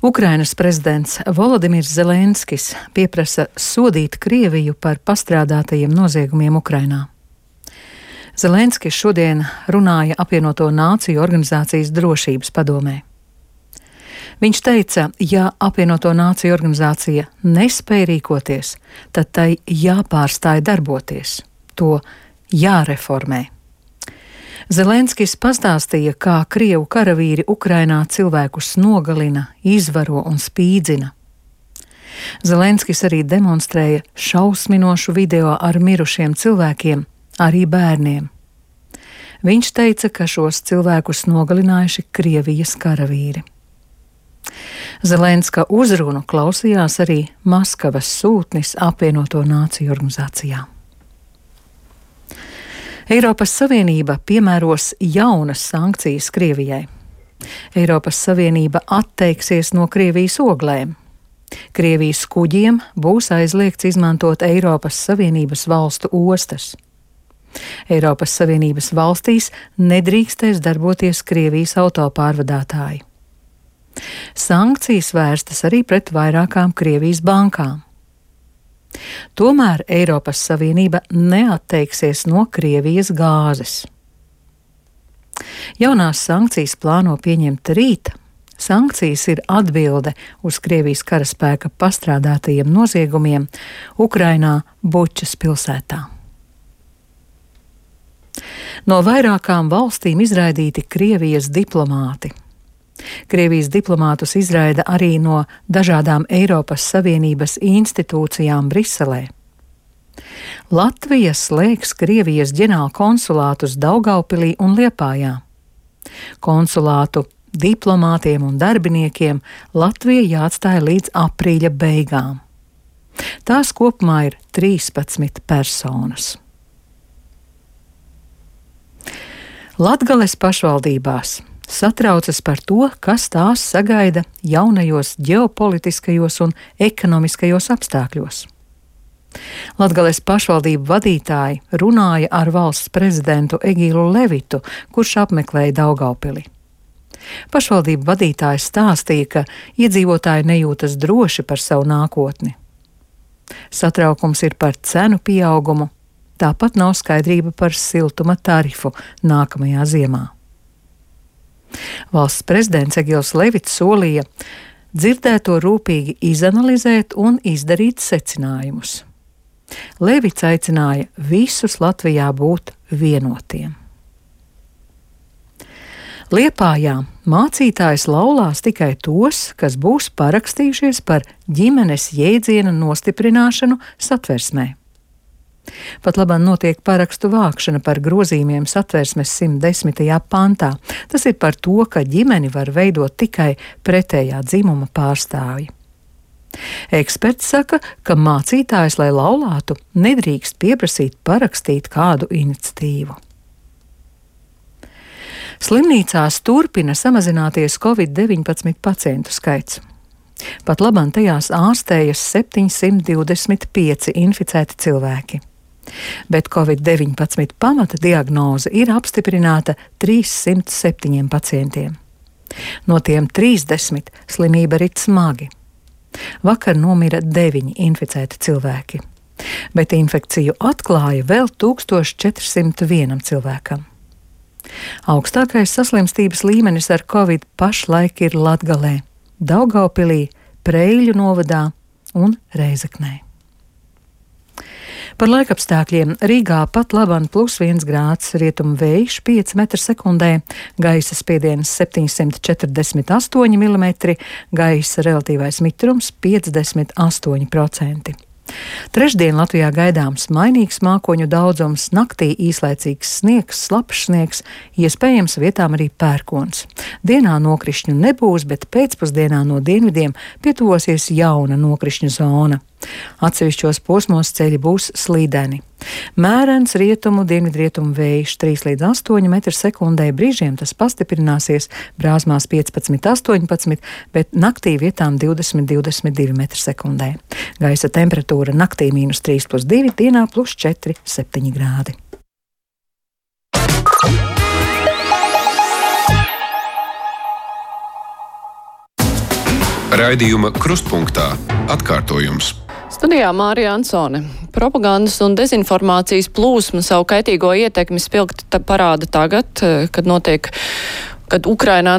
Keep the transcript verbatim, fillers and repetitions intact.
Ukrainas prezidents Volodimirs Zelenskis pieprasa sodīt Krieviju par pastrādātajiem noziegumiem Ukrainā. Zelenskis šodien runāja apvienoto nāciju organizācijas drošības padomē. Viņš teica, ja apvienoto nāciju organizācija nespēja rīkoties, tad tai jāpārstāj darboties, to jāreformē. Zelenskis pastāstīja, kā Krievu karavīri Ukrainā cilvēkus nogalina, izvaro un spīdzina. Zelenskis arī demonstrēja šausminošu video ar mirušiem cilvēkiem, arī bērniem. Viņš teica, ka šos cilvēkus nogalinājuši Krievijas karavīri. Zelenska uzrunu klausījās arī Maskavas sūtnis apvienoto nāciju organizācijā. Eiropas Savienība piemēros jaunas sankcijas Krievijai. Eiropas Savienība atteiksies no Krievijas oglēm. Krievijas kuģiem būs aizliegts izmantot Eiropas Savienības valstu ostas. Eiropas Savienības valstīs nedrīkstēs darboties Krievijas autopārvadātāji. Sankcijas vērstas arī pret vairākām Krievijas bankām. Tomēr Eiropas Savienība neatteiksies no Krievijas gāzes. Jaunās sankcijas plāno pieņemt rīt. Sankcijas ir atbilde uz Krievijas karaspēka pastrādātajiem noziegumiem Ukrainā Bučas pilsētā. No vairākām valstīm izraidīti Krievijas diplomāti. Krievijas diplomātus izraida arī no dažādām Eiropas Savienības institūcijām Briselē. Latvija slēgs Krievijas ģenerālkonsulātus Daugavpilī un Liepājā. Konsulātu diplomātiem un darbiniekiem Latvija jāatstāja līdz aprīļa beigām. Tās kopumā ir trīspadsmit personas. Latgales pašvaldībās satraucas par to, kas tās sagaida jaunajos ģeopolitiskajos un ekonomiskajos apstākļos. Latgales pašvaldību vadītāji runāja ar valsts prezidentu Egīlu Levitu, kurš apmeklēja Daugavpili. Pašvaldību vadītājs stāstīja, ka iedzīvotāji nejūtas droši par savu nākotni. Satraukums ir par cenu pieaugumu, tāpat nav skaidrība par siltuma tarifu nākamajā ziemā. Valsts prezidents Egils Levits solīja dzirdēto rūpīgi izanalizēt un izdarīt secinājumus. Levits aicināja visus Latvijā būt vienotiem. Liepājā mācītājs laulās tikai tos, kas būs parakstījušies par ģimenes jēdziena nostiprināšanu Satversmē. Pat labāk notiek parakstu vākšana par grozījumiem Satversmes simt desmitajā pantā. Tas ir par to, ka ģimeni var veidot tikai pretējā dzimuma pārstāvji. Eksperts saka, ka mācītājs, lai laulātu, nedrīkst pieprasīt parakstīt kādu iniciatīvu. Slimnīcās turpina samazināties covid deviņpadsmit pacientu skaits. Pat labāk tajās ārstējas septiņsimt divdesmit pieci inficēti cilvēki. Bet covid deviņpadsmit pamata diagnoze ir apstiprināta trīssimt septiņiem pacientiem. No tiem trīsdesmit slimība rit smagi. Vakar nomira deviņi inficēti cilvēki, bet infekciju atklāja vēl tūkstoš četrsimt vienam cilvēkam. Augstākais saslimstības līmenis ar covid pašlaik ir Latgalē, Daugavpilī, Preiļu novadā un Reizeknē. Par laikapstākļiem Rīgā pat labāk plus viens grāds, rietumu vējš pieci metri sekundē, gaisa spiediens septiņsimt četrdesmit astoņi milimetri, gaisa relatīvais mitrums piecdesmit astoņi procenti. Trešdien Latvijā gaidāms mainīgs mākoņu daudzums, naktī īslaicīgs sniegs, slapjš sniegs, iespējams vietām arī pērkons. Dienā nokrišņu nebūs, bet pēcpusdienā no dienvidiem pietuvosies jauna nokrišņu zona. Atsevišķos posmos ceļi būs slīdeni. Mērens rietumu, dienvidrietumu vējš trīs līdz astoņi metri sekundē, brīžiem tas pastiprināsies, Brāzmās piecpadsmit astoņpadsmit, bet naktī vietām divdesmit divdesmit divi metri sekundē. Gaisa temperatūra naktī mīnus trīs plus divi, dienā plus četri septiņi grādi. Raidījuma Krustpunktā atkārtojums. Studijā Mārija Ansone. Propagandas un dezinformācijas plūsma savu kaitīgo ietekmi spilgti parāda tagad, kad notiek, kad Ukrainā